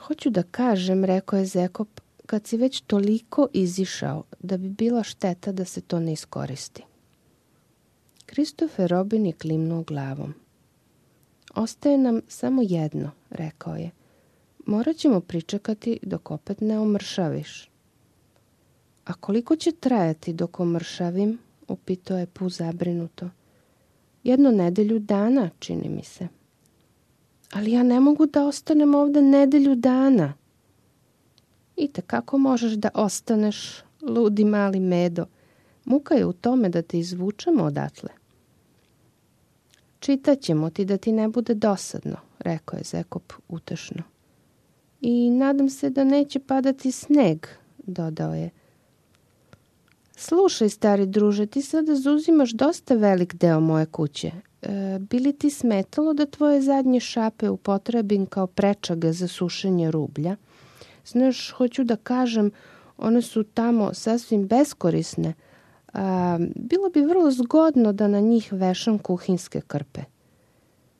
Hoću da kažem, rekao je Zekop, kad si već toliko izišao, da bi bila šteta da se to ne iskoristi. Kristofer Robin je klimnuo glavom. Ostaje nam samo jedno, rekao je. Morat ćemo pričekati dok opet ne omršaviš. A koliko će trajati dok omršavim? Upitao je Pu zabrinuto. 1 nedelju dana, čini mi se. Ali ja ne mogu da ostanem ovde 1 nedelju dana. I kako možeš da ostaneš, ludi mali Medo? Muka je u tome da te izvučemo odatle. Čitat ćemo ti da ti ne bude dosadno, rekao je Zekop utešno. I nadam se da neće padati sneg, dodao je. Slušaj, stari druže, ti sada zauzimaš dosta velik deo moje kuće. Bi li ti smetalo da tvoje zadnje šape upotrebim kao prečaga za sušenje rublja? Znaš, hoću da kažem, one su tamo sasvim beskorisne. Bilo bi vrlo zgodno da na njih vešam kuhinske krpe.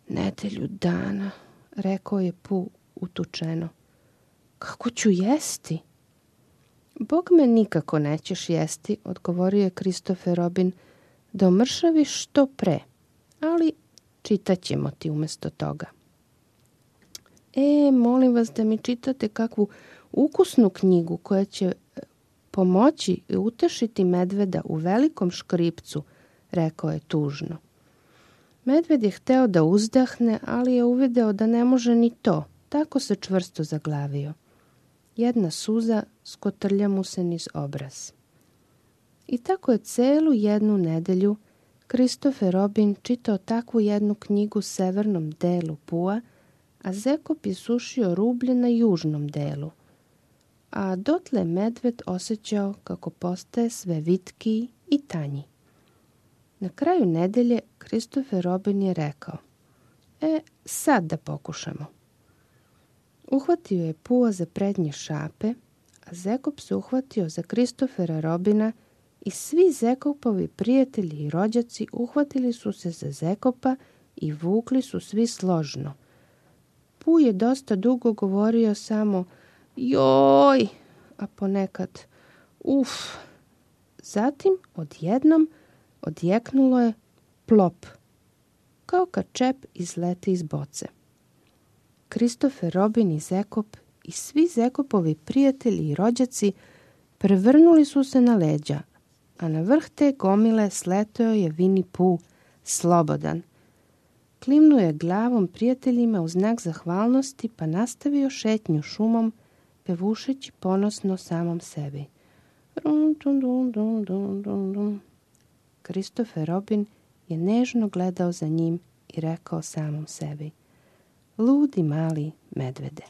1 nedelju dana, rekao je Pu utučeno. Kako ću jesti? Bog me nikako nećeš jesti, odgovorio je Kristofer Robin, da omršaviš što pre, ali čitat ćemo ti umjesto toga. Molim vas da mi čitate kakvu ukusnu knjigu koja će pomoći i utešiti medveda u velikom škripcu, rekao je tužno. Medved je hteo da uzdahne, ali je uvideo da ne može ni to, tako se čvrsto zaglavio. 1 suza skotrlja mu se niz obraz. I tako je celu 1 nedelju Kristofer Robin čitao takvu 1 knjigu severnom delu Pua, a Zekop je sušio rublje na južnom delu. A dotle medved osjećao kako postaje sve vitkiji i tanji. Na kraju nedelje Kristofer Robin je rekao, sad da pokušamo. Uhvatio je Pua za prednje šape, a Zekop se uhvatio za Kristofera Robina i svi Zekopovi prijatelji i rođaci uhvatili su se za Zekopa i vukli su svi složno. Pu je dosta dugo govorio samo joj, a ponekad uf. Zatim odjednom odjeknulo je plop, kao kad čep izleti iz boce. Kristofer Robin i Zekop i svi Zekopovi prijatelji i rođaci prevrnuli su se na leđa, a na vrh te gomile sleteo je Winnie Pooh, slobodan. Klimnuo je glavom prijateljima u znak zahvalnosti, pa nastavio šetnju šumom, pevušeći ponosno samom sebi. Kristofer Robin je nežno gledao za njim i rekao samom sebi, ludi mali medvede.